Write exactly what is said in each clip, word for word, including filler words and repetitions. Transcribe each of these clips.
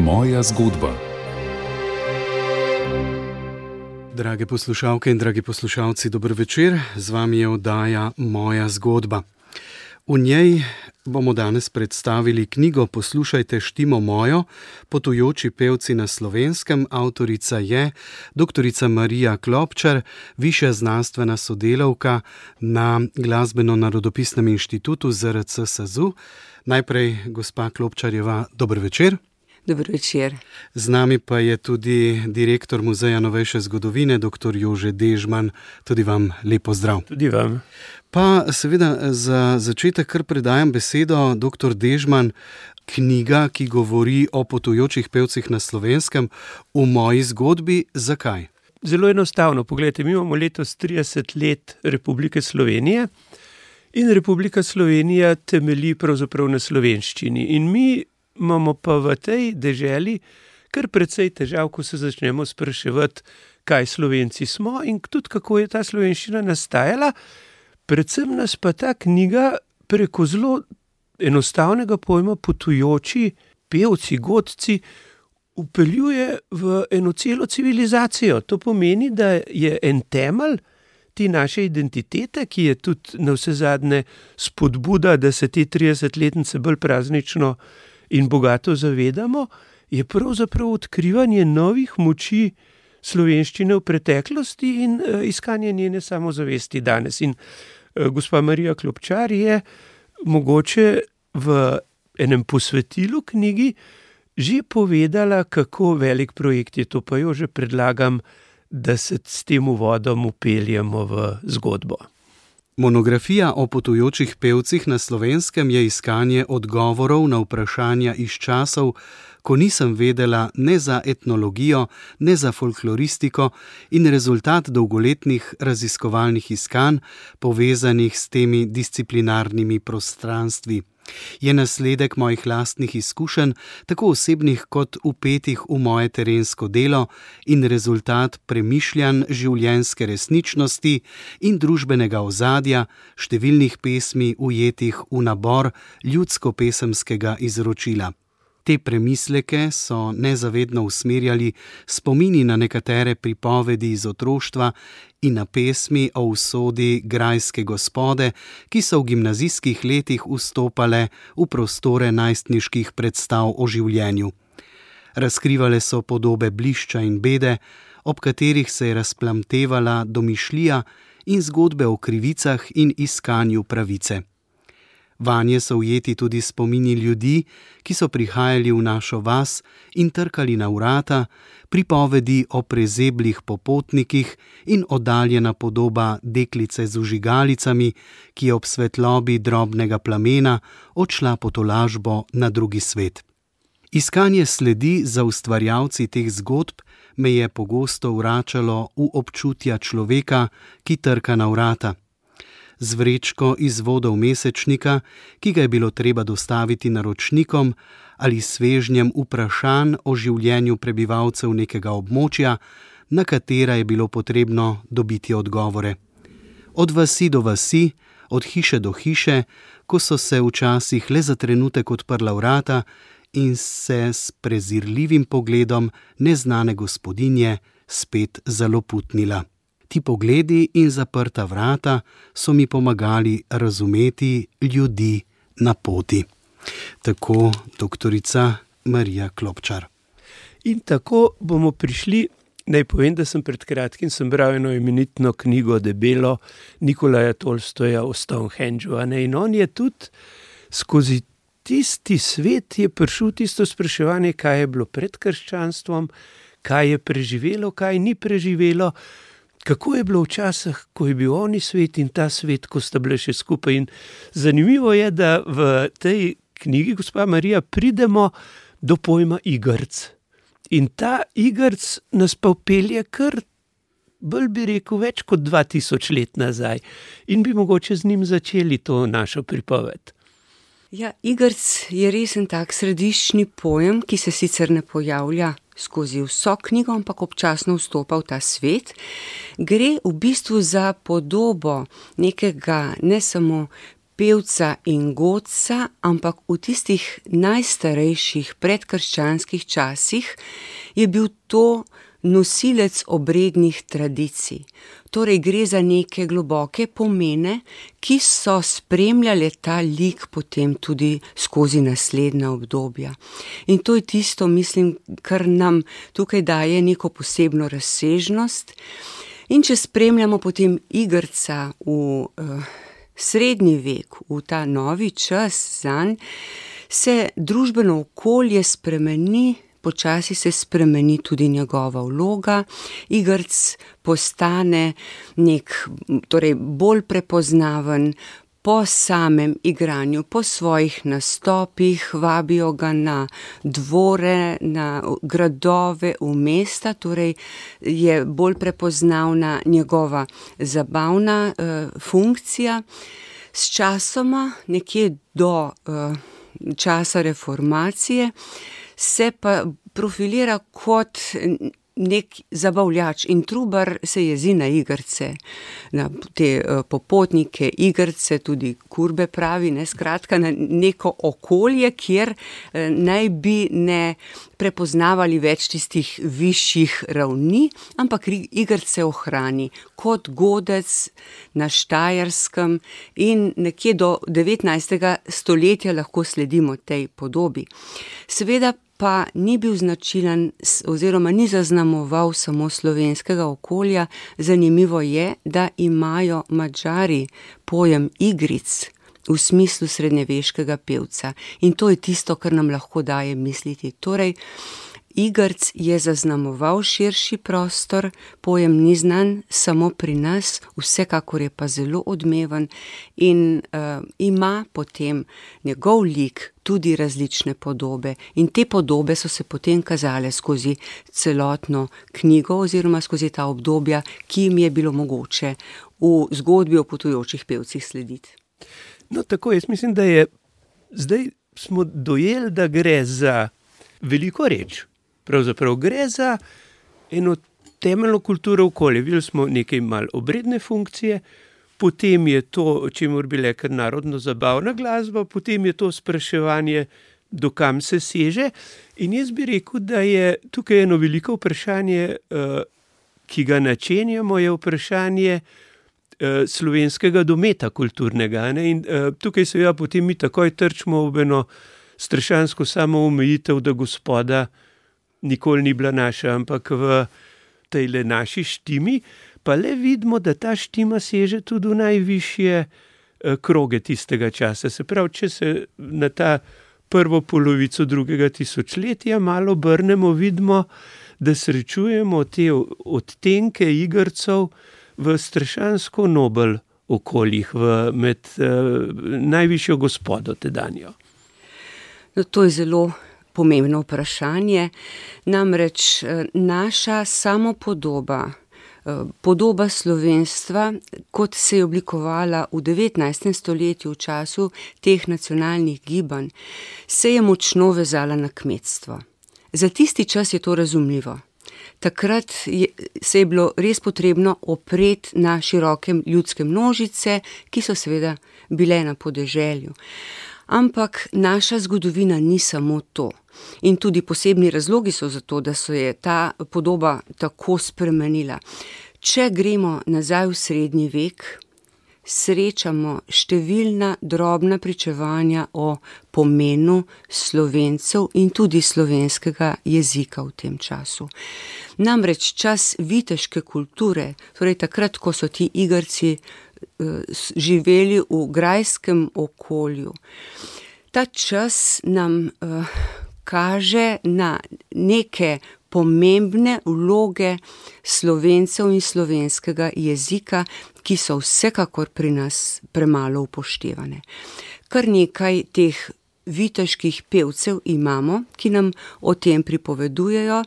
Moja zgodba. Drage poslušalke in dragi poslušalci, dober večer. Z vami je oddaja Moja zgodba. V njej bomo danes predstavili knjigo Poslušajte štimo mojo, potujoči pevci na Slovenskem. Avtorica je doktorica Marija Klopčar, višja znanstvena sodelavka na Glasbeno-narodopisnem inštitutu Z R C SAZU. Najprej, gospa Klopčarjeva, dober večer. Dober večer. Z nami pa je tudi direktor Muzeja novejše zgodovine, doktor Jože Dežman. Tudi vam lep pozdrav. Tudi vam. Pa seveda za začetek kar predajam besedo, doktor Dežman, knjiga, ki govori o potujočih pevcih na Slovenskem, v moji zgodbi. Zakaj? Zelo enostavno. Poglejte, mi imamo letos trideset let Republike Slovenije in Republika Slovenija temelji pravzaprav na slovenščini. In mi imamo pa v tej deželi kar precej težav, ko se začnemo spraševati, kaj Slovenci smo in tudi kako je ta slovenščina nastajala. Predvsem nas pa ta knjiga preko zelo enostavnega pojma potujoči pevci, godci vpeljuje v eno celo civilizacijo. To pomeni, da je en temelj te naše identitete, ki je tudi navsezadnje spodbuda, da se te tridesetletnice bolj praznično in bogato zavedamo, je pravzaprav odkrivanje novih moči slovenščine v preteklosti in uh, iskanje njene samozavesti danes. In uh, gospa Marija Klopčar je mogoče v enem posvetilu knjigi že povedala, kako velik projekt je to, pa jo že predlagam, da se s tem uvodom upeljemo v zgodbo. Monografija o potujočih pevcih na Slovenskem je iskanje odgovorov na vprašanja iz časov, ko nisem vedela ne za etnologijo, ne za folkloristiko, in rezultat dolgoletnih raziskovalnih iskanj, povezanih s temi disciplinarnimi prostranstvi. Je nasledek mojih lastnih izkušenj, tako osebnih kot vpetih v moje terensko delo, in rezultat premišljanj življenjske resničnosti in družbenega ozadja, številnih pesmi ujetih v nabor ljudsko-pesemskega izročila. Te premisleke so nezavedno usmerjali spomini na nekatere pripovedi iz otroštva in na pesmi o usodi grajske gospode, ki so v gimnazijskih letih vstopale v prostore najstniških predstav o življenju. Razkrivale so podobe blišča in bede, ob katerih se je razplamtevala domišljija in zgodbe o krivicah in iskanju pravice. Vanje so ujeti tudi spomini ljudi, ki so prihajali v našo vas in trkali na vrata, pripovedi o prezeblih popotnikih in oddaljena podoba deklice z vžigalicami, ki je ob svetlobi drobnega plamena odšla po tolažbo na drugi svet. Iskanje sledi za ustvarjalci teh zgodb me je pogosto vračalo v občutja človeka, ki trka na vrata. Z vrečko izvodov mesečnika, ki ga je bilo treba dostaviti naročnikom, ali svežnjem vprašanj o življenju prebivalcev nekega območja, na katera je bilo potrebno dobiti odgovore. Od vasi do vasi, od hiše do hiše, ko so se včasih le za trenutek odprla vrata in se s prezirljivim pogledom neznane gospodinje spet zaloputnila. Ti pogledi in zaprta vrata so mi pomagali razumeti ljudi na poti. Tako doktorica Marija Klopčar. In tako bomo prišli, naj povem, da sem pred kratkim sem bral eno imenitno knjigo debelo Nikolaja Tolstoja o Stonehengeu, in on je tudi skozi tisti svet je prišel tisto spraševanje, kaj je bilo pred krščanstvom, kaj je preživelo, kaj ni preživelo, kako je bilo včasih, ko je bil oni svet in ta svet, ko sta bile še skupaj. In zanimivo je, da v tej knjigi, gospa Marija, pridemo do pojma igrc. In ta igrc nas pa vpelje kar, bolj bi rekel, več kot dva tisoč let nazaj. In bi mogoče z njim začeli to našo pripoved. Ja, igrc je res en tak središčni pojem, ki se sicer ne pojavlja skozi vso knjigo, ampak občasno vstopa v ta svet. Gre v bistvu za podobo nekega ne samo pevca in godca, ampak v tistih najstarejših predkrščanskih časih je bil to nosilec obrednih tradicij. Torej gre za neke globoke pomene, ki so spremljale ta lik potem tudi skozi naslednja obdobja. In to je tisto, mislim, kar nam tukaj daje neko posebno razsežnost. In če spremljamo potem Igrca v uh, srednji vek, v ta novi čas zanj, se družbeno okolje spremeni, počasi se spremeni tudi njegova vloga. Igrc postane nek, torej bolj prepoznaven po samem igranju, po svojih nastopih, vabijo ga na dvore, na gradove, v mesta, torej je bolj prepoznavna njegova zabavna uh, funkcija. S časoma, nekje do uh, časa reformacije, se pa profilira kot nek zabavljač in Trubar se jezi na Igrce, na te uh, popotnike Igrce, tudi Kurbe pravi, ne, skratka na neko okolje, kjer uh, naj bi ne prepoznavali več tistih višjih ravni, ampak Igrce ohrani kot godec na Štajerskem in nekje do devetnajstega stoletja lahko sledimo tej podobi. Seveda pa ni bil značilen oziroma ni zaznamoval samo slovenskega okolja. Zanimivo je, da imajo Madžari pojem igric v smislu srednjeveškega pevca. In to je tisto, kar nam lahko daje misliti. Torej, Igrc je zaznamoval širši prostor, pojem ni znan samo pri nas, vsekakor je pa zelo odmeven in uh, ima potem njegov lik tudi različne podobe. In te podobe so se potem kazale skozi celotno knjigo oziroma skozi ta obdobja, ki jim je bilo mogoče v zgodbi o potujočih pevcih slediti. No, tako, jaz mislim, da je zdaj smo dojeli, da gre za veliko reč. Pravzaprav gre za eno temeljno kulturo okolja. Videli smo nekaj malo obredne funkcije, potem je to, o čemur bi rekel, narodno-zabavna glasba, potem je to spraševanje, do kam se seže. In jaz bi rekel, da je tukaj eno veliko vprašanje, ki ga načenjamo, je vprašanje slovenskega dometa kulturnega. Ne? In tukaj seveda potem mi takoj trčimo v eno strašansko samoomejitev, da Gospoda nikoli ni bila naša, ampak v tejle naši štimi, pa le vidimo, da ta štima seže tudi v najvišje kroge tistega časa. Se pravi, če se na ta prvo polovico drugega tisočletja malo obrnemo, vidimo, da srečujemo te odtenke Igrcev v strašansko nobel okoljih, v, med uh, najvišjo Gospodo tedanjo. No, to je zelo pomembno vprašanje. Namreč naša samopodoba, podoba slovenstva, kot se je oblikovala v devetnajstem stoletju v času teh nacionalnih gibanj, se je močno vezala na kmetstvo. Za tisti čas je to razumljivo. Takrat je, se je bilo res potrebno opreti na široke ljudske množice, ki so seveda bile na podeželju. Ampak naša zgodovina ni samo to. In tudi posebni razlogi so za to, da se je ta podoba tako spremenila. Če gremo nazaj v srednji vek, srečamo številna drobna pričevanja o pomenu Slovencev in tudi slovenskega jezika v tem času. Namreč čas viteške kulture, torej takrat, ko so ti Igrci živeli v grajskem okolju. Ta čas nam uh, kaže na neke pomembne vloge Slovencev in slovenskega jezika, ki so vsekakor pri nas premalo upoštevane. Kar nekaj teh viteških pevcev imamo, ki nam o tem pripovedujejo.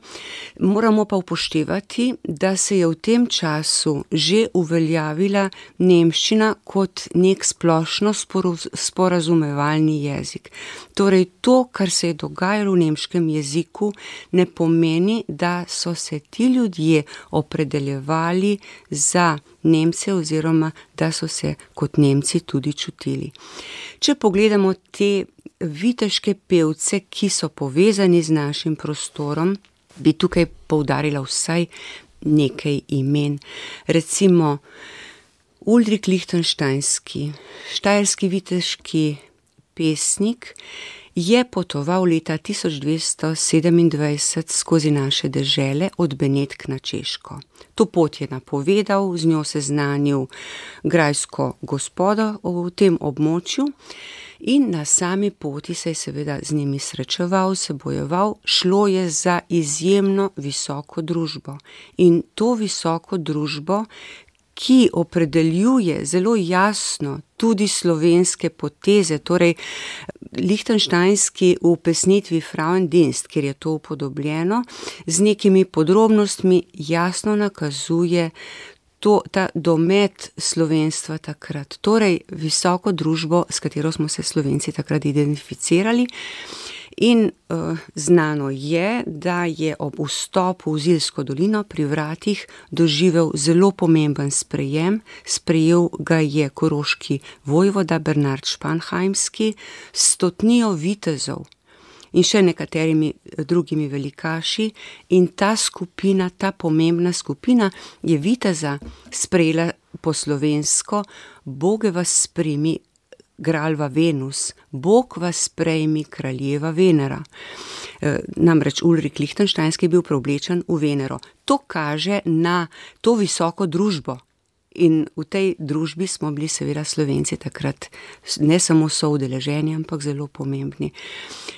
Moramo pa upoštevati, da se je v tem času že uveljavila nemščina kot nek splošno sporazumevalni jezik. Torej, to, kar se je dogajalo v nemškem jeziku, ne pomeni, da so se ti ljudje opredeljevali za Nemce oziroma da so se kot Nemci tudi čutili. Če pogledamo te viteške pevce, ki so povezani z našim prostorom, bi tukaj poudarila vsaj nekaj imen. Recimo Ulrik Lichtensteinski, štajerski viteški pesnik, je potoval leta tisoč dvesto sedemindvajset skozi naše dežele od Benetk na Češko. To pot je napovedal, z njo seznanil grajsko gospodo v tem območju in na sami poti se je seveda z njimi srečeval, se bojeval. Šlo je za izjemno visoko družbo in to visoko družbo, ki opredeljuje zelo jasno tudi slovenske poteze, torej Lichtensteinski v pesnitvi Frauendienst, kjer je to upodobljeno, z nekimi podrobnostmi jasno nakazuje to, ta domet slovenstva takrat, torej visoko družbo, s katero smo se Slovenci takrat identificirali. In uh, znano je, da je ob vstopu v Zilsko dolino pri vratih doživel zelo pomemben sprejem. Sprejel ga je koroški vojvoda Bernard Španheimski s stotnijo vitezov in še nekaterimi drugimi velikaši. In ta skupina, ta pomembna skupina je viteza sprejela po slovensko: Boge vas sprimi, Gralva Venus, Bog vas sprejmi, kraljeva Venera. E, namreč Ulrik Lichtensteinski je bil preoblečen v Venero. To kaže na to visoko družbo. In v tej družbi smo bili seveda Slovenci takrat ne samo soudeleženi, ampak zelo pomembni.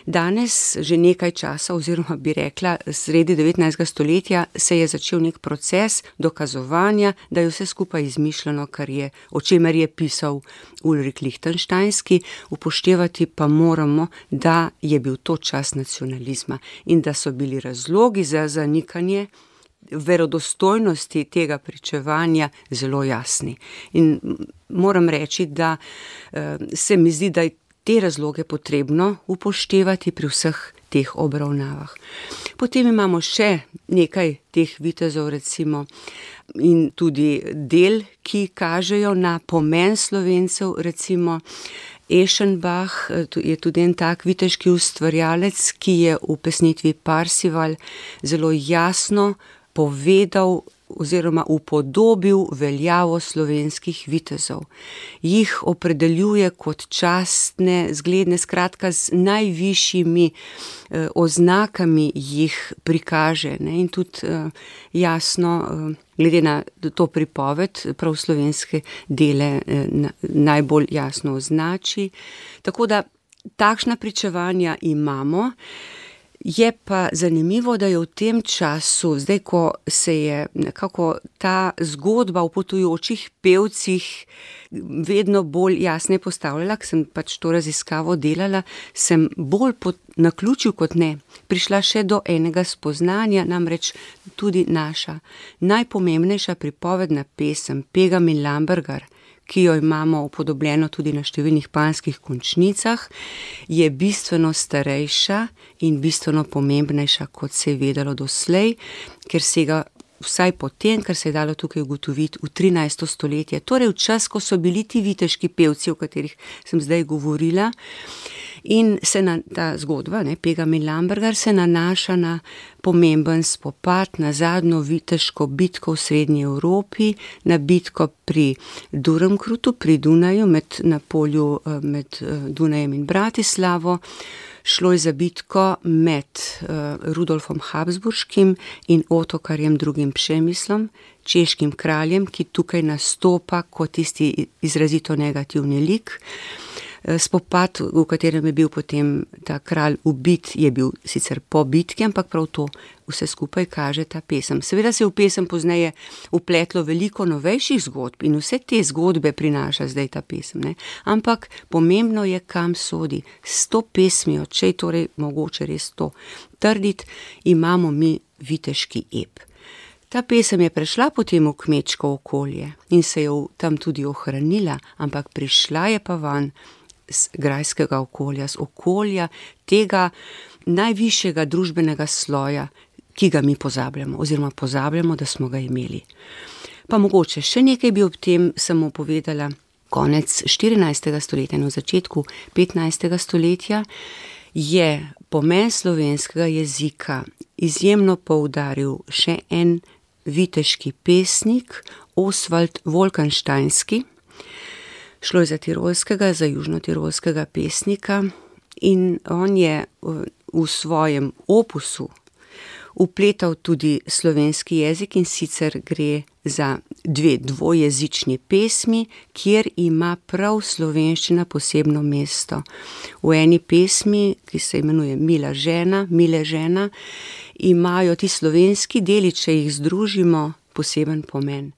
Danes, že nekaj časa, oziroma bi rekla, sredi devetnajstega stoletja, se je začel nek proces dokazovanja, da je vse skupaj izmišljeno, kar je, o čemer je pisal Ulrik Lichtensteinski. Upoštevati pa moramo, da je bil to čas nacionalizma in da so bili razlogi za zanikanje verodostojnosti tega pričevanja zelo jasni. In moram reči, da uh, se mi zdi, da je te razloge potrebno upoštevati pri vseh teh obravnavah. Potem imamo še nekaj teh vitezov, recimo, in tudi del, ki kažejo na pomen Slovencev, recimo Eschenbach je tudi en tak viteški ustvarjalec, ki je v pesnitvi Parsival zelo jasno povedal oziroma upodobil veljavo slovenskih vitezov. Jih opredeljuje kot častne, zgledne, skratka z najvišjimi eh, oznakami jih prikaže, ne? In tudi eh, jasno, eh, glede na to pripoved, prav slovenske dele eh, na, najbolj jasno označi. Tako da takšna pričevanja imamo. Je pa zanimivo, da je v tem času, zdaj ko se je nekako ta zgodba o potujočih pevcih vedno bolj jasne postavljala, ker sem pač to raziskavo delala, sem bolj po naključju kot ne prišla še do enega spoznanja, namreč tudi naša najpomembnejša pripovedna pesem Pegam in Lambergar, ki jo imamo upodobljeno tudi na številnih panskih končnicah, je bistveno starejša in bistveno pomembnejša, kot se je vedelo doslej, ker sega vsaj po tem, kar se je dalo tukaj ugotoviti, v trinajsto stoletje, torej v čas, ko so bili ti viteški pevci, o katerih sem zdaj govorila. In se na ta zgodba, ne, Pegam in Lambergar, se nanaša na pomemben spopad, na zadnjo viteško bitko v srednji Evropi, na bitko pri Durmkrutu, pri Dunaju, med, na polju med Dunajem in Bratislavo. Šlo je za bitko med uh, Rudolfom Habsburškim in Otokarjem drugim Přemyslom, češkim kraljem, ki tukaj nastopa kot tisti izrazito negativni lik. Spopad, v katerem je bil potem ta kralj ubit, je bil sicer po bitki, ampak prav to vse skupaj kaže ta pesem. Seveda se je v pesem pozneje vpletlo veliko novejših zgodb in vse te zgodbe prinaša zdaj ta pesem, ne. Ampak pomembno je, kam sodi. S to pesmijo, če je torej mogoče res to trditi, imamo mi viteški ep. Ta pesem je prešla potem v kmečko okolje in se je tam tudi ohranila, ampak prišla je pa van z grajskega okolja, z okolja tega najvišjega družbenega sloja, ki ga mi pozabljamo, oziroma pozabljamo, da smo ga imeli. Pa mogoče še nekaj bi ob tem samo povedala. Konec štirinajstega stoletja in v začetku petnajstega stoletja je pomen slovenskega jezika izjemno poudaril še en viteški pesnik, Osvald Wolkensteinski. Šlo je za tirolskega, za južnotirolskega pesnika in on je v svojem opusu vpletal tudi slovenski jezik, in sicer gre za dve dvojezični pesmi, kjer ima prav slovenščina posebno mesto. V eni pesmi, ki se imenuje Mila žena, Mile žena, imajo ti slovenski deli, če jih združimo, poseben pomen.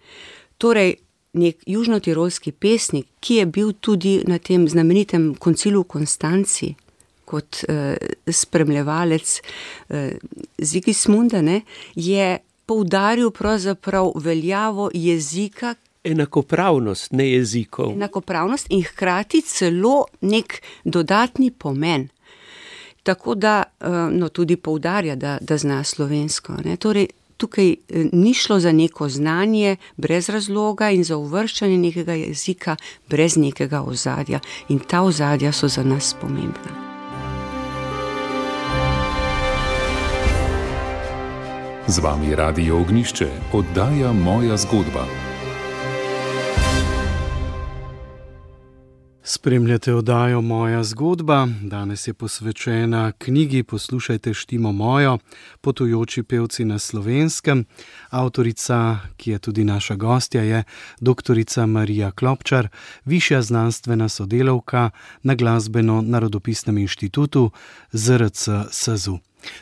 Torej, nek južnotirolski pesnik, ki je bil tudi na tem znamenitem koncilu v Konstanci, kot eh, spremljevalec eh, Sigismunda, ne, je poudaril pravzaprav veljavo jezika. Enakopravnost, ne jezikov. Enakopravnost in hkrati celo nek dodatni pomen. Tako da, eh, no, tudi poudarja, da, da zna slovensko, ne. Torej, tukaj ni šlo za neko znanje brez razloga in za uvrščanje nekega jezika brez nekega ozadja. In ta ozadja so za nas pomembna. Z vami Radio Ognjišče, oddaja Moja zgodba. Spremljate oddajo Moja zgodba. Danes je posvečena knjigi Poslušajte štimo mojo, potujoči pevci na Slovenskem. Avtorica, ki je tudi naša gostja, je doktorica Marija Klopčar, višja znanstvena sodelavka na Glasbeno-narodopisnem inštitutu Z R C SAZU.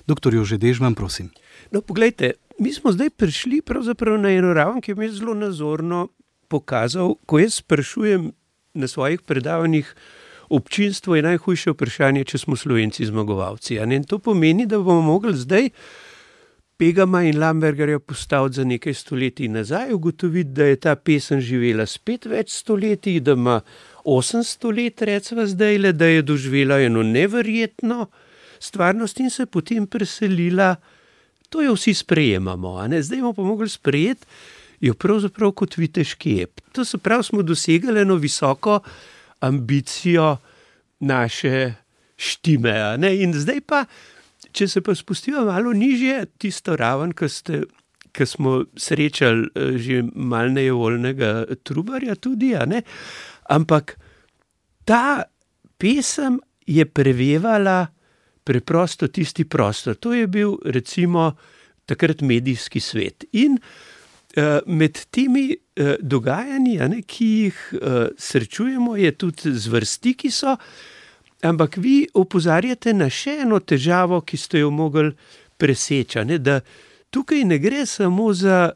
Doktor Jože Dežman, prosim. No, poglejte, mi smo zdaj prišli pravzaprav na eno raven, ki je mi zelo nazorno pokazal, ko jaz sprašujem na svojih predavanjih, občinstvo je najhujše vprašanje, če smo Slovenci zmagovalci. In to pomeni, da bomo mogli zdaj Pegama in Lambergerja postaviti za nekaj stoletij nazaj, ugotoviti, da je ta pesem živela spet več stoletij, da ima osemsto let, recimo zdajle, da je doživela eno neverjetno stvarnost in se potem preselila. To jo vsi sprejemamo, a ne? Zdaj bomo pa mogli sprejeti jo pravzaprav kot viteški ep. To se pravi, smo dosegli eno visoko ambicijo naše štime, a ne? In zdaj pa, če se pa spustimo malo nižje, tisto raven, ki ste, ki smo srečali že malo nejevoljnega Trubarja tudi, a ne? Ampak ta pesem je prevevala preprosto tisti prostor. To je bil recimo takrat medijski svet. In uh, med temi uh, dogajanji, a ne, ki jih uh, srečujemo, je tudi zvrsti, ki so, ampak vi opozarjate na še eno težavo, ki ste jo mogli preseči, a ne, da tukaj ne gre samo za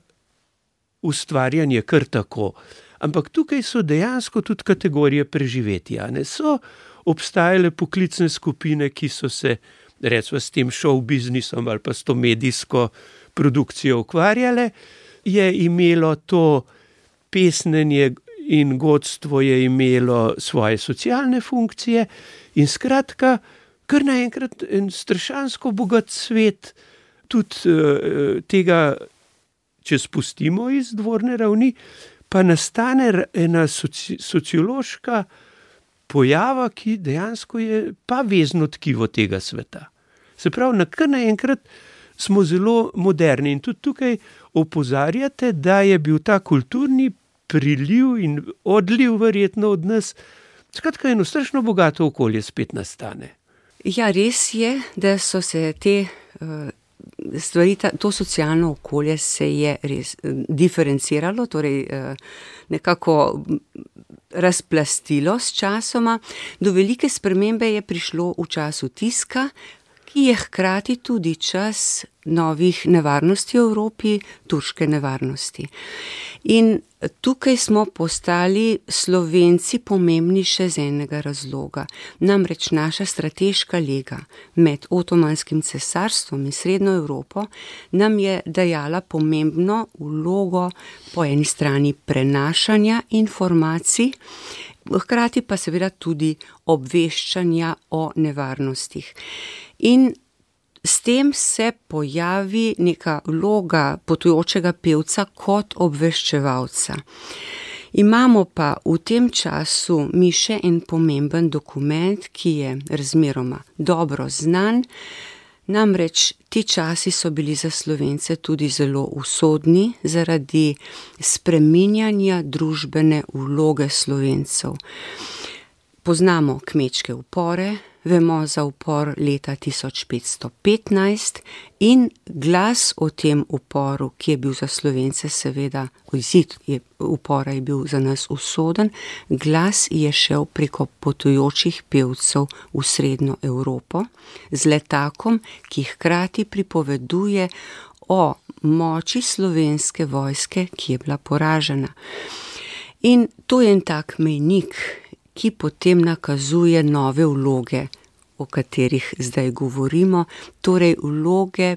ustvarjanje kar tako, ampak tukaj so dejansko tudi kategorije preživetja, ne, so obstajale poklicne skupine, ki so se, recimo, s tem show biznisom ali pa s to medijsko produkcijo ukvarjale, je imelo to pesnenje in godstvo je imelo svoje socialne funkcije in skratka, kar naenkrat en strašansko bogat svet tudi uh, tega, če spustimo iz dvorne ravni, pa nastane ena soci, sociološka pojava, ki dejansko je pa vezno tkivo tega sveta. Se pravi, na kar naenkrat smo zelo moderni in tudi tukaj opozarjate, da je bil ta kulturni priliv in odliv verjetno od nas, skratka eno strašno bogato okolje spet nastane. Ja, res je, da so se te uh, stvari, to socialno okolje se je res diferenciralo, torej nekako razplastilo s časoma. Do velike spremembe je prišlo v času tiska, ki je hkrati tudi čas novih nevarnosti v Evropi, turške nevarnosti. In tukaj smo postali Slovenci pomembni še z enega razloga. Namreč naša strateška lega med Otomanskim cesarstvom in Srednjo Evropo nam je dajala pomembno vlogo po eni strani prenašanja informacij, hkrati pa seveda tudi obveščanja o nevarnostih. In s tem se pojavi neka vloga potujočega pevca kot obveščevalca. Imamo pa v tem času mi še en pomemben dokument, ki je razmeroma dobro znan, namreč ti časi so bili za Slovence tudi zelo usodni zaradi spreminjanja družbene vloge Slovencev. Poznamo kmečke upore, vemo za upor leta tisoč petsto petnajst in glas o tem uporu, ki je bil za Slovence seveda, izid upora je bil za nas usoden, glas je šel preko potujočih pevcev v Srednjo Evropo z letakom, ki hkrati pripoveduje o moči slovenske vojske, ki je bila poražena. In to je en tak mejnik, ki potem nakazuje nove vloge, o katerih zdaj govorimo, torej vloge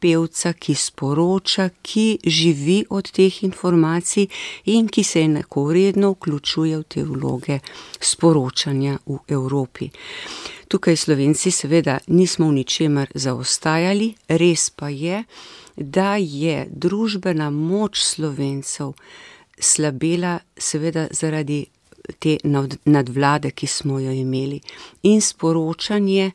pevca, ki sporoča, ki živi od teh informacij in ki se enakovredno vključuje v te vloge sporočanja v Evropi. Tukaj Slovenci seveda nismo v ničemer zaostajali, res pa je, da je družbena moč Slovencev slabela seveda zaradi te nadvlade, ki smo jo imeli. In sporočanje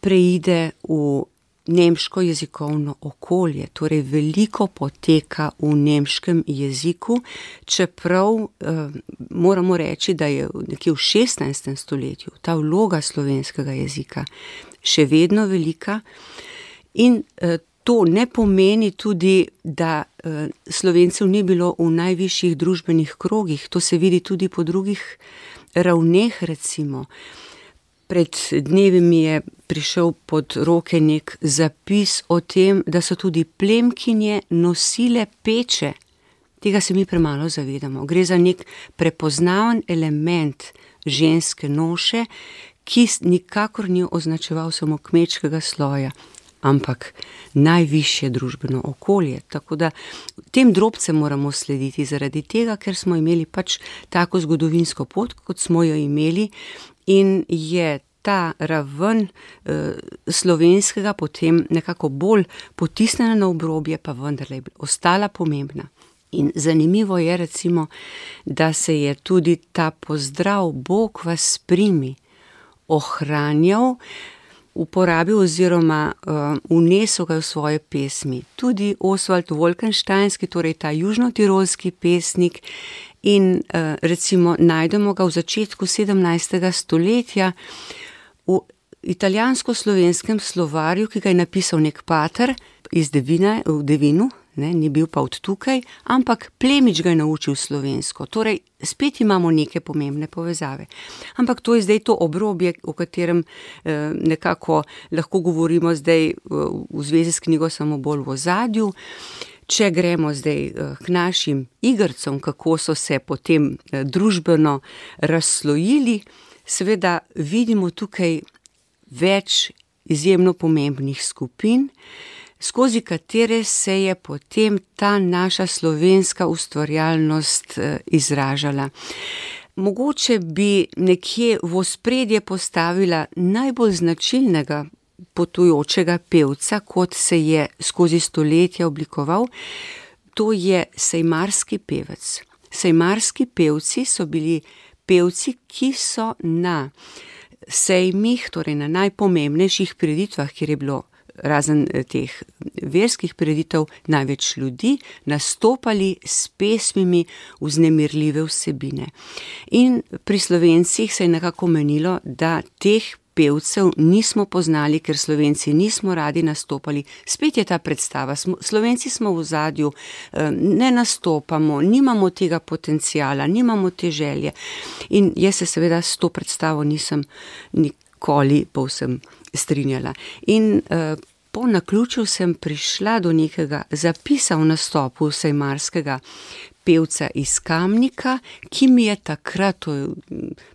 preide v nemško jezikovno okolje, torej veliko poteka v nemškem jeziku, čeprav eh, moramo reči, da je nekje v šestnajstem stoletju ta vloga slovenskega jezika še vedno velika in eh, to ne pomeni tudi, da uh, Slovencev ni bilo v najvišjih družbenih krogih, to se vidi tudi po drugih ravneh, recimo. Pred dnevi mi je prišel pod roke nek zapis o tem, da so tudi plemkinje nosile peče. Tega se mi premalo zavedamo. Gre za nek prepoznaven element ženske noše, ki nikakor ni označeval samo kmečkega sloja, ampak najvišje družbeno okolje. Tako da tem drobcem moramo slediti zaradi tega, ker smo imeli pač tako zgodovinsko pot, kot smo jo imeli in je ta raven eh, slovenskega potem nekako bolj potisnjena na obrobje, pa vendarle je ostala pomembna. In zanimivo je recimo, da se je tudi ta pozdrav Bog vas primi ohranjal, uporabil oziroma uh, vnesel ga v svoje pesmi. Tudi Oswald Wolkensteinski, torej ta južnotirolski pesnik, in uh, recimo najdemo ga v začetku sedemnajstega stoletja v italijansko-slovenskem slovarju, ki ga je napisal nek pater iz Devine, v Devinu, ne, ni bil pa od tukaj, ampak plemič ga je naučil slovensko. Torej, spet imamo neke pomembne povezave. Ampak to je zdaj to obrobje, o katerem eh, nekako lahko govorimo zdaj eh, v zvezi s knjigo samo bolj v ozadju. Če gremo zdaj eh, k našim igrcom, kako so se potem eh, družbeno razslojili, seveda vidimo tukaj več izjemno pomembnih skupin, skozi katere se je potem ta naša slovenska ustvarjalnost izražala. Mogoče bi nekje v ospredje postavila najbolj značilnega potujočega pevca, kot se je skozi stoletja oblikoval, to je sejmarski pevec. Sejmarski pevci so bili pevci, ki so na sejmih, torej na najpomembnejših prireditvah, kjer je bilo razen teh verskih prireditev največ ljudi, nastopali s pesmimi vznemirljive vsebine. In pri Slovencih se je nekako menilo, da teh pevcev nismo poznali, ker Slovenci nismo radi nastopali. Spet je ta predstava, smo, Slovenci smo v ozadju, ne nastopamo, nimamo tega potenciala, nimamo te želje. In jaz se seveda s to predstavo nisem nikoli povsem strinjala. In uh, po naključju sem prišla do nekega zapisa v nastopu sejmarskega pevca iz Kamnika, ki mi je takrat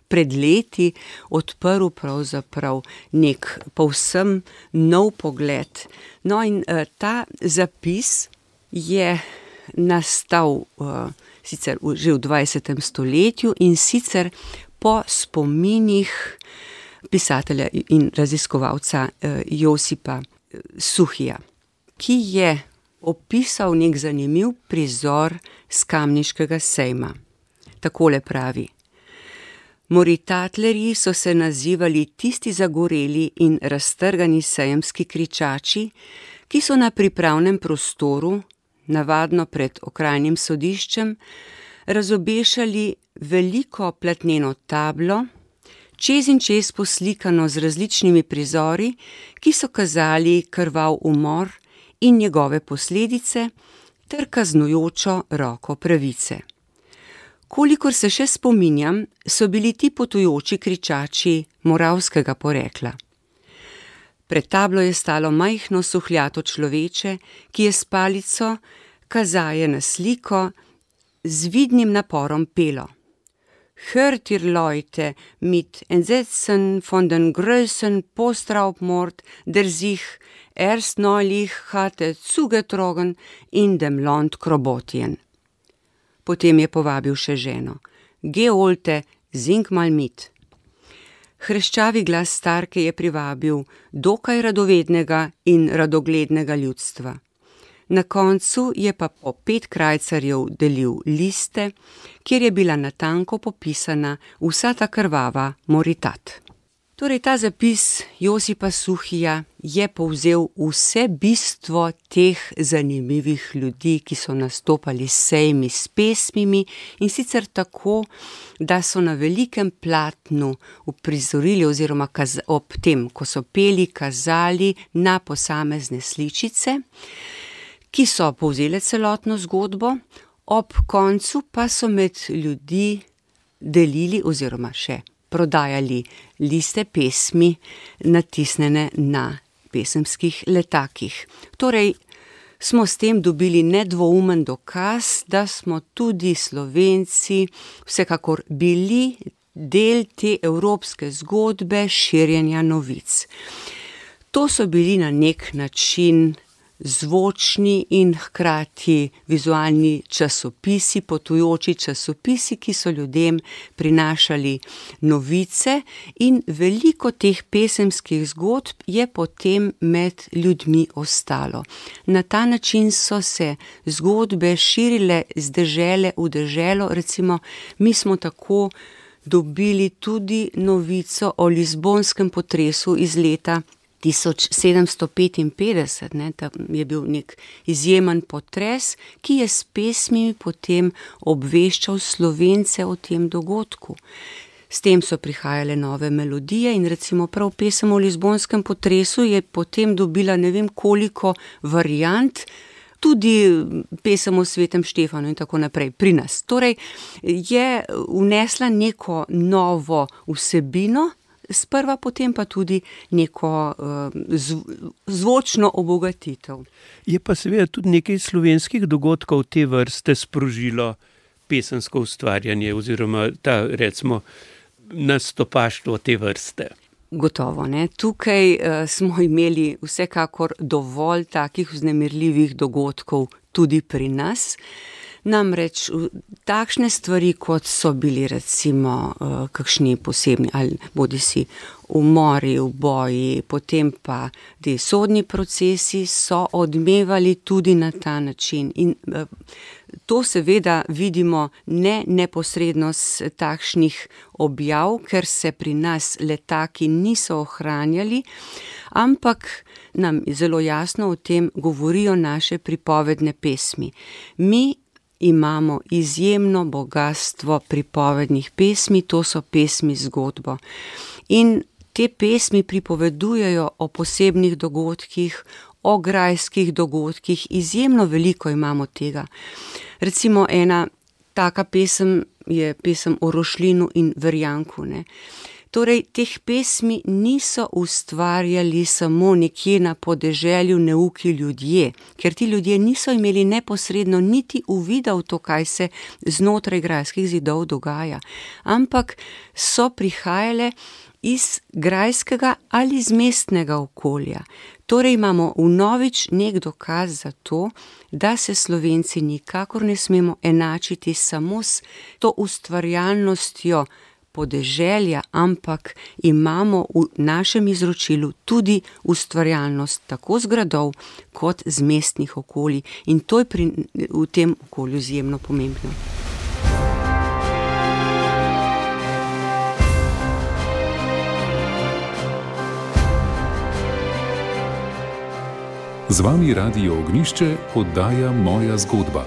pred leti odprl pravzaprav nek povsem nov pogled. No in uh, ta zapis je nastal uh, sicer v, že v dvajsetem stoletju in sicer po spominih pisatelja in raziskovalca uh, Josipa Suhija, ki je opisal nek zanimiv prizor s kamniškega sejma. Takole pravi: Moritatlerji so se nazivali tisti zagoreli in raztrgani sejemski kričači, ki so na pripravnem prostoru, navadno pred okrajnim sodiščem, razobešali veliko platneno tablo, čez in čez poslikano z različnimi prizori, ki so kazali krvav umor in njegove posledice ter kaznujočo roko pravice. Kolikor se še spominjam, so bili ti potujoči kričači moravskega porekla. Pred tablo je stalo majhno suhljato človeče, ki je s palico kazaje na sliko z vidnim naporom pelo: Hört ihr Leute mit Entsetzen von den Größen Postraubmord, der sich erst neulich hatte zugetragen in dem Land Krobotien. Potem je povabil še ženo: Geh Olte, sing mal mit. Hreščavi glas starke je privabil dokaj radovednega in radoglednega ljudstva. Na koncu je pa po pet krajcarjev delil liste, kjer je bila natanko popisana vsa ta krvava moritat. Torej, ta zapis Josipa Suhija je povzel vse bistvo teh zanimivih ljudi, ki so nastopali s sejmi s pesmimi, in sicer tako, da so na velikem platnu uprizorili oziroma kaz- ob tem, ko so peli, kazali na posamezne sličice, ki so povzele celotno zgodbo, ob koncu pa so med ljudi delili oziroma še prodajali liste pesmi, natisnjene na pesemskih letakih. Torej, smo s tem dobili nedvoumen dokaz, da smo tudi Slovenci vsekakor bili del te evropske zgodbe širjenja novic. To so bili na nek način zvočni in hkrati vizualni časopisi, potujoči časopisi, ki so ljudem prinašali novice, in veliko teh pesemskih zgodb je potem med ljudmi ostalo. Na ta način so se zgodbe širile z dežele v deželo. Recimo, mi smo tako dobili tudi novico o lizbonskem potresu iz leta tisoč sedemsto petinpetdeset, ne, tam je bil nek izjemen potres, ki je s pesmimi potem obveščal Slovence o tem dogodku. S tem so prihajale nove melodije in recimo prav pesem o lizbonskem potresu je potem dobila ne vem koliko variant, tudi pesem o svetem Štefanu in tako naprej pri nas. Torej, je vnesla neko novo vsebino, sprva potem pa tudi neko uh, zv- zvočno obogatitev. Je pa seveda tudi nekaj slovenskih dogodkov te vrste sprožilo pesemsko ustvarjanje oziroma ta, recimo, nastopaštvo te vrste. Gotovo, ne. Tukaj uh, smo imeli vsekakor dovolj takih vznemirljivih dogodkov tudi pri nas. Namreč takšne stvari, kot so bili recimo uh, kakšni posebni, ali bodi si umori, uboji, potem pa ti sodni procesi, so odmevali tudi na ta način. In uh, to seveda vidimo ne neposredno z takšnih objav, ker se pri nas letaki niso ohranjali, ampak nam zelo jasno o tem govorijo naše pripovedne pesmi. Mi imamo izjemno bogastvo pripovednih pesmi, to so pesmi zgodbo. In te pesmi pripovedujejo o posebnih dogodkih, o grajskih dogodkih, izjemno veliko imamo tega. Recimo ena taka pesem je pesem o Rošlinu in Verjanku, ne. Torej, teh pesmi niso ustvarjali samo nekje na podeželju neuki ljudje, ker ti ljudje niso imeli neposredno niti uvida v to, kaj se znotraj grajskih zidov dogaja, ampak so prihajale iz grajskega ali iz mestnega okolja. Torej imamo vnovič nek dokaz za to, da se Slovenci nikakor ne smemo enačiti samo s to ustvarjalnostjo podeželja, ampak imamo v našem izročilu tudi ustvarjalnost tako z gradov kot z mestnih okolij in to je pri, v tem okolju izjemno pomembno. Z vami Radio Ognjišče, oddaja Moja zgodba.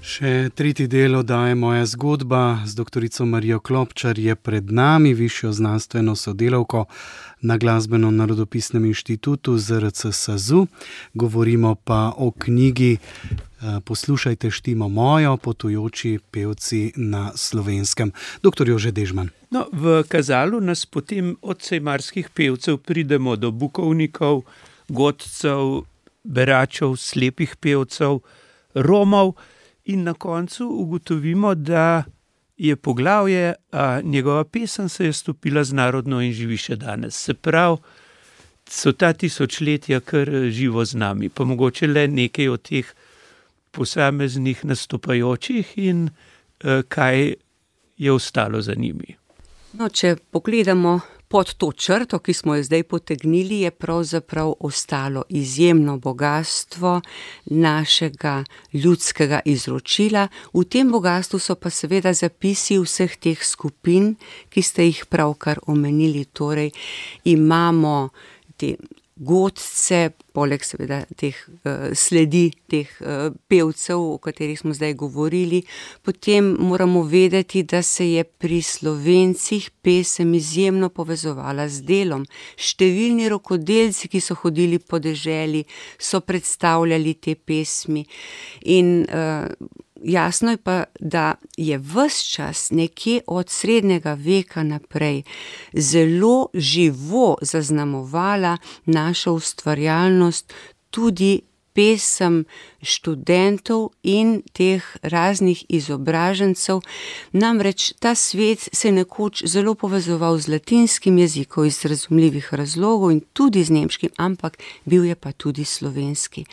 Še tretji del oddaje Moja zgodba z doktorico Marijo Klopčar je pred nami, višjo znanstveno sodelavko na Glasbeno-narodopisnem inštitutu Z R C SAZU. Govorimo pa o knjigi Poslušajte štimo mojo, potujoči pevci na Slovenskem. Doktor Jože Dežman. No, v kazalu nas potem od sejmarskih pevcev pridemo do bukovnikov, godcev, beračev, slepih pevcev, Romov in na koncu ugotovimo, da je poglavje, a njegova pesem se je stopila z narodno in živi še danes. Se pravi, so ta tisočletja kar živo z nami, pa mogoče le nekaj od teh posameznih nastopajočih in eh, kaj je ostalo za njimi. No, če pogledamo pod to črto, ki smo jo zdaj potegnili, je pravzaprav ostalo izjemno bogastvo našega ljudskega izročila. V tem bogastvu so pa seveda zapisi vseh teh skupin, ki ste jih pravkar omenili. Torej, imamo te godce, poleg seveda teh uh, sledi, teh uh, pevcev, o katerih smo zdaj govorili. Potem moramo vedeti, da se je pri Slovencih pesem izjemno povezovala z delom. Številni rokodelci, ki so hodili po deželi, so predstavljali te pesmi in uh, jasno je pa, da je ves čas nekje od srednjega veka naprej zelo živo zaznamovala našo ustvarjalnost tudi pesem študentov in teh raznih izobražencev. Namreč ta svet se je nekoč zelo povezoval z latinskim jezikom iz razumljivih razlogov in tudi z nemškim, ampak bil je pa tudi slovenski.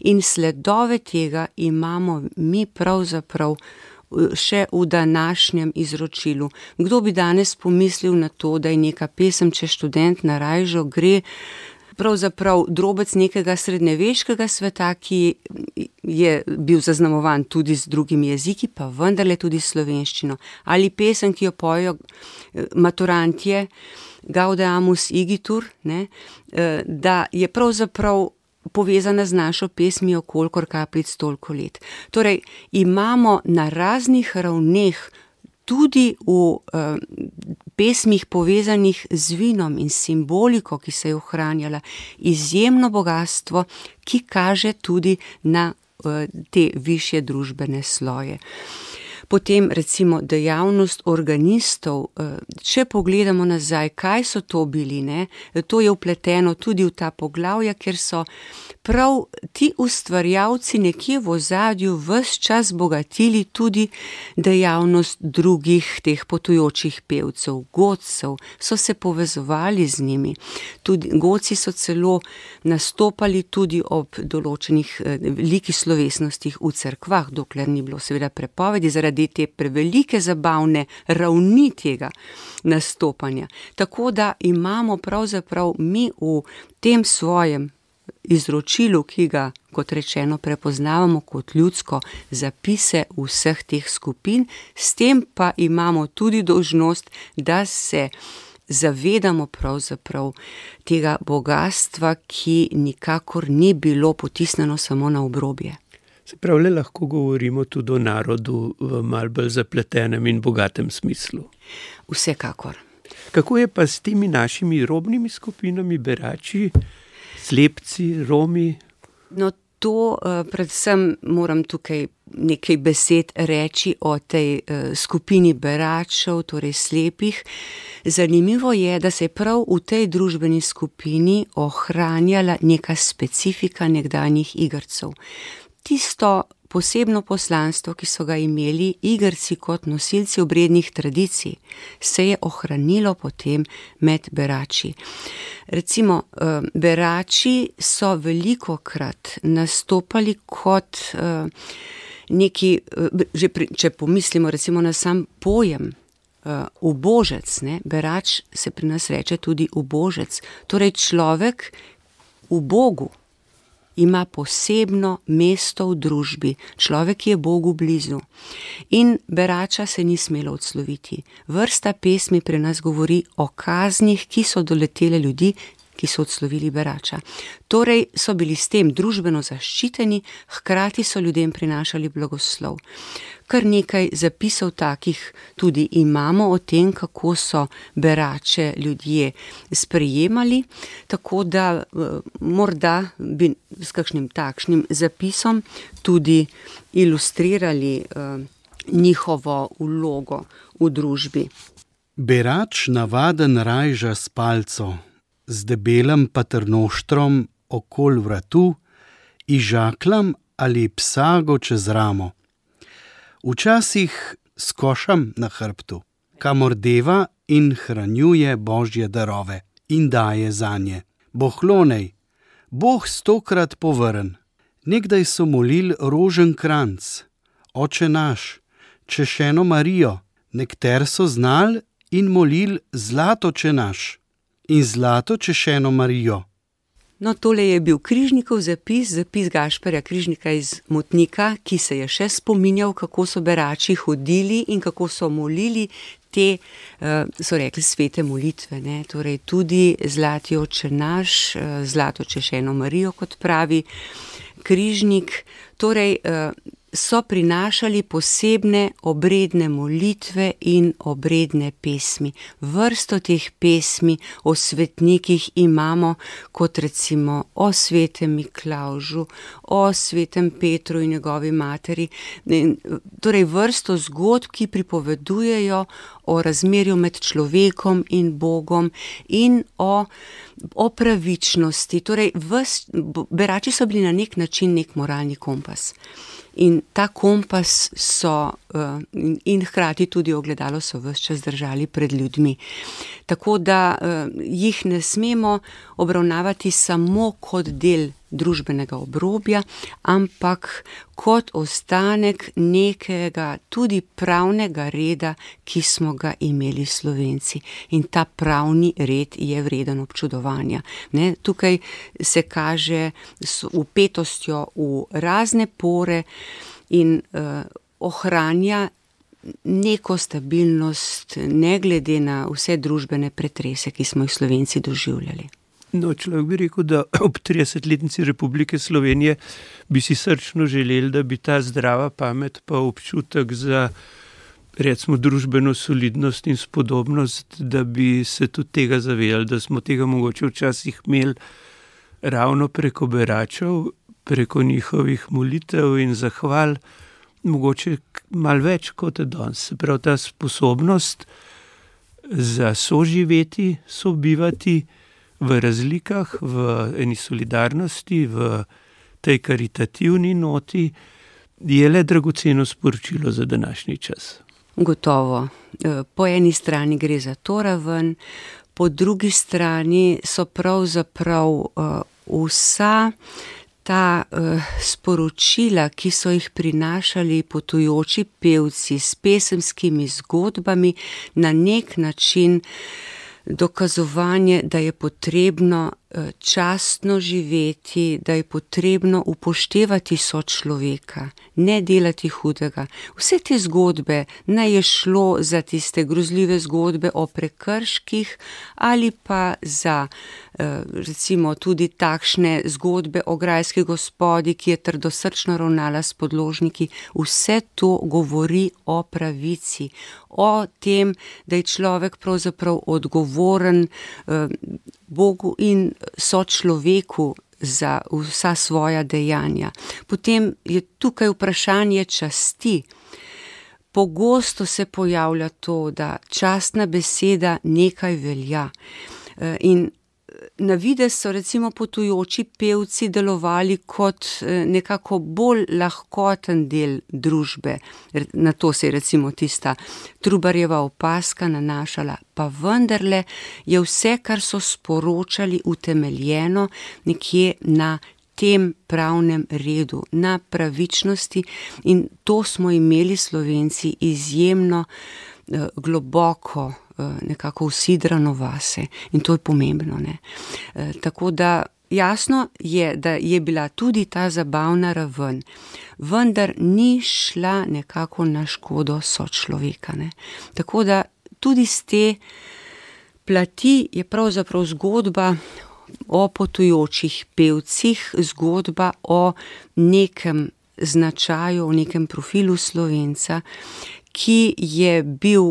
In sledove tega imamo mi pravzaprav še v današnjem izročilu. Kdo bi danes pomislil na to, da je neka pesem, če študent na Rajžo gre, pravzaprav drobec nekega srednjeveškega sveta, ki je bil zaznamovan tudi z drugimi jeziki, pa vendarle tudi slovenščino. Ali pesem, ki jo pojejo maturantje, Gaudeamus igitur, ne, da je pravzaprav povezana z našo pesmijo Kolikor kapljic toliko let. Torej, imamo na raznih ravneh tudi v uh, pesmih povezanih z vinom in simboliko, ki se je ohranjala, izjemno bogatstvo, ki kaže tudi na uh, te višje družbene sloje. Potem recimo dejavnost organistov, če pogledamo nazaj, kaj so to bili, ne? To je vpleteno tudi v ta poglavja, ker so prav ti ustvarjalci nekje v ozadju ves čas bogatili tudi dejavnost drugih teh potujočih pevcev, godcev, so se povezovali z njimi. Tudi godci so celo nastopali tudi ob določenih velikih slovesnostih v cerkvah, dokler ni bilo seveda prepovedi, zaradi te prevelike zabavne ravni tega nastopanja. Tako da imamo pravzaprav mi v tem svojem izročilu, ki ga, kot rečeno, prepoznavamo kot ljudsko, zapise vseh teh skupin, s tem pa imamo tudi dolžnost, da se zavedamo pravzaprav tega bogatstva, ki nikakor ni bilo potisnjeno samo na obrobje. Se pravi, lahko govorimo tudi o narodu v malo bolj zapletenem in bogatem smislu. Vsekakor. Kako je pa s temi našimi robnimi skupinami, berači, slepci, Romi? No, to uh, predvsem moram tukaj nekaj besed reči o tej uh, skupini beračev, torej slepih. Zanimivo je, da se je prav v tej družbeni skupini ohranjala neka specifika nekdanjih igrcev. Tisto posebno poslanstvo, ki so ga imeli igrci kot nosilci obrednih tradicij, se je ohranilo potem med berači. Recimo, berači so velikokrat nastopali kot neki, že pri, če pomislimo recimo na sam pojem ubožec, ne, berač se pri nas reče tudi ubožec, torej človek v Bogu ima posebno mesto v družbi, človek, ki je Bogu blizu. In berača se ni smelo odsloviti. Vrsta pesmi pri nas govori o kaznih, ki so doletele ljudi, ki so odslovili berača. Torej so bili s tem družbeno zaščiteni, hkrati so ljudem prinašali blagoslov. Kar nekaj zapisov takih tudi imamo o tem, kako so berače ljudje sprejemali, tako da morda bi s kakšnim takšnim zapisom tudi ilustrirali uh, njihovo vlogo v družbi. Berač navaden rajža s palco, z debelim paternoštrom okol vratu, ižaklam ali psago čez ramo. Včasih s košem na hrbtu, kamor deva in hranjuje božje darove in daje zanje. Bohlonej, Bog stokrat povrn. Nekdaj so molil rožen kranc, Oče naš, češeno Marijo, nekter so znal in molil zlatoče naš in zlato češeno Marijo. No, tole je bil Križnikov zapis, zapis Gašperja Križnika iz Motnika, ki se je še spominjal, kako so berači hodili in kako so molili te, so rekli, svete molitve, ne? Torej tudi zlati Oče naš, zlato češeno Marijo, kot pravi Križnik, torej so prinašali posebne obredne molitve in obredne pesmi. Vrsto teh pesmi o svetnikih imamo, kot recimo o svetem Miklavžu, o svetem Petru in njegovi materi. Torej vrsto zgodb, ki pripovedujejo o razmerju med človekom in Bogom in o, o pravičnosti. Torej, ves, berači so bili na nek način nek moralni kompas. In ta kompas so uh, in, in hkrati tudi ogledalo so ves čas držali pred ljudmi. Tako da uh, jih ne smemo obravnavati samo kot del družbenega obrobja, ampak kot ostanek nekega tudi pravnega reda, ki smo ga imeli Slovenci. In ta pravni red je vreden občudovanja. Ne? Tukaj se kaže s vpetostjo v razne pore in uh, ohranja neko stabilnost, ne glede na vse družbene pretrese, ki smo jih Slovenci doživljali. No, človek bi rekel, da ob tridesetletnici Republike Slovenije bi si srčno želeli, da bi ta zdrava pamet pa občutek za, recimo, družbeno solidnost in spodobnost, da bi se tudi tega zavedali, da smo tega mogoče včasih imeli ravno preko beračev, preko njihovih molitev in zahval, mogoče malo več kot danes. Se pravi, ta sposobnost za soživeti, sobivati v razlikah, v eni solidarnosti, v tej karitativni noti, je le dragoceno sporočilo za današnji čas. Gotovo. Po eni strani gre za to raven, po drugi strani so pravzaprav uh, vsa ta uh, sporočila, ki so jih prinašali potujoči pevci s pesemskimi zgodbami, na nek način dokazovanje, da je potrebno častno živeti, da je potrebno upoštevati sočloveka, ne delati hudega. Vse te zgodbe, naj je šlo za tiste grozljive zgodbe o prekrških ali pa za recimo tudi takšne zgodbe o grajski gospodi, ki je trdosrčno ravnala s podložniki, vse to govori o pravici, o tem, da je človek pravzaprav odgovoren Bogu in sočloveku za vsa svoja dejanja. Potem je tukaj vprašanje časti. Pogosto se pojavlja to, da častna beseda nekaj velja. In na videz so recimo potujoči pevci delovali kot nekako bolj lahkoten del družbe. Na to se je recimo tista Trubarjeva opazka nanašala, pa vendarle je vse, kar so sporočali, utemeljeno nekje na tem pravnem redu, na pravičnosti, in to smo imeli Slovenci izjemno globoko nekako usidrano vase, in to je pomembno, ne. Tako da jasno je, da je bila tudi ta zabavna raven, vendar ni šla nekako na škodo sočloveka, ne. Tako da tudi z te plati je pravzaprav zgodba o potujočih pevcih, zgodba o nekem značaju, o nekem profilu Slovenca, ki je bil,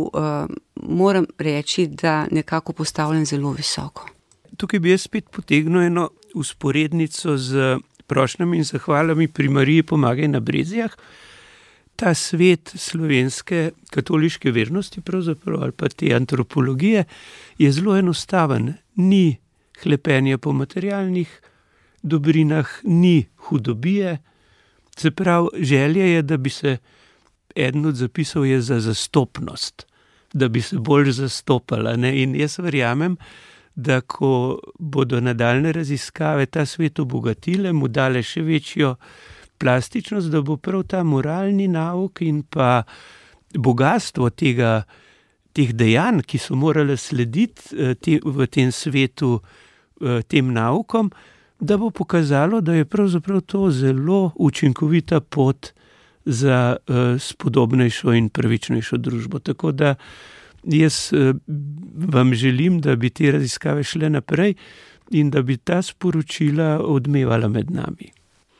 moram reči, da nekako postavljen zelo visoko. Tukaj bi jaz spet potegnil eno vzporednico z prošnjami in zahvalami pri Mariji Pomagaj na Brezjah. Ta svet slovenske katoliške vernosti pravzaprav, ali pa te antropologije, je zelo enostaven. Ni hlepenja po materialnih dobrinah, ni hudobije. Se pravi, želja je, da bi se, eden od zapisov je za zastopnost, da bi se bolj zastopala, ne? In jaz verjamem, da ko bodo nadaljne raziskave ta svet obogatile, mu dale še večjo plastičnost, da bo prav ta moralni nauk in pa bogastvo tega, teh dejanj, ki so morale slediti te, v tem svetu tem naukom, da bo pokazalo, da je pravzaprav to zelo učinkovita pot za spodobnejšo in pravičnejšo družbo. Tako da jaz vam želim, da bi te raziskave šle naprej in da bi ta sporočila odmevala med nami.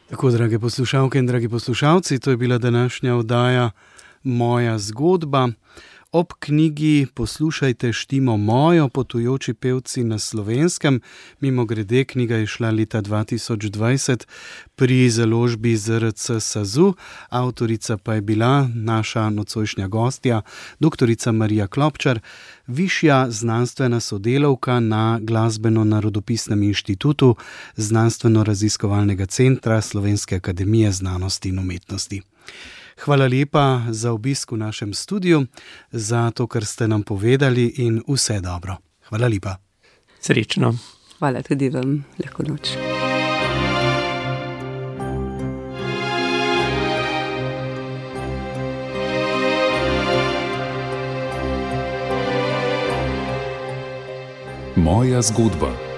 Tako, drage poslušalke in dragi poslušalci, to je bila današnja oddaja Moja zgodba. Ob knjigi Poslušajte štimo mojo, potujoči pevci na Slovenskem. Mimogrede, knjiga je šla leta dva tisoč dvajset pri založbi Z R C SAZU, avtorica pa je bila naša nocojšnja gostja, doktorica Marija Klopčar, višja znanstvena sodelavka na Glasbeno-narodopisnem inštitutu Znanstveno-raziskovalnega centra Slovenske akademije znanosti in umetnosti. Hvala lepa za obisk v našem studiu, za to, kar ste nam povedali, in vse dobro. Hvala lepa. Srečno. Hvala tudi vam. Lahko noč. Moja zgodba.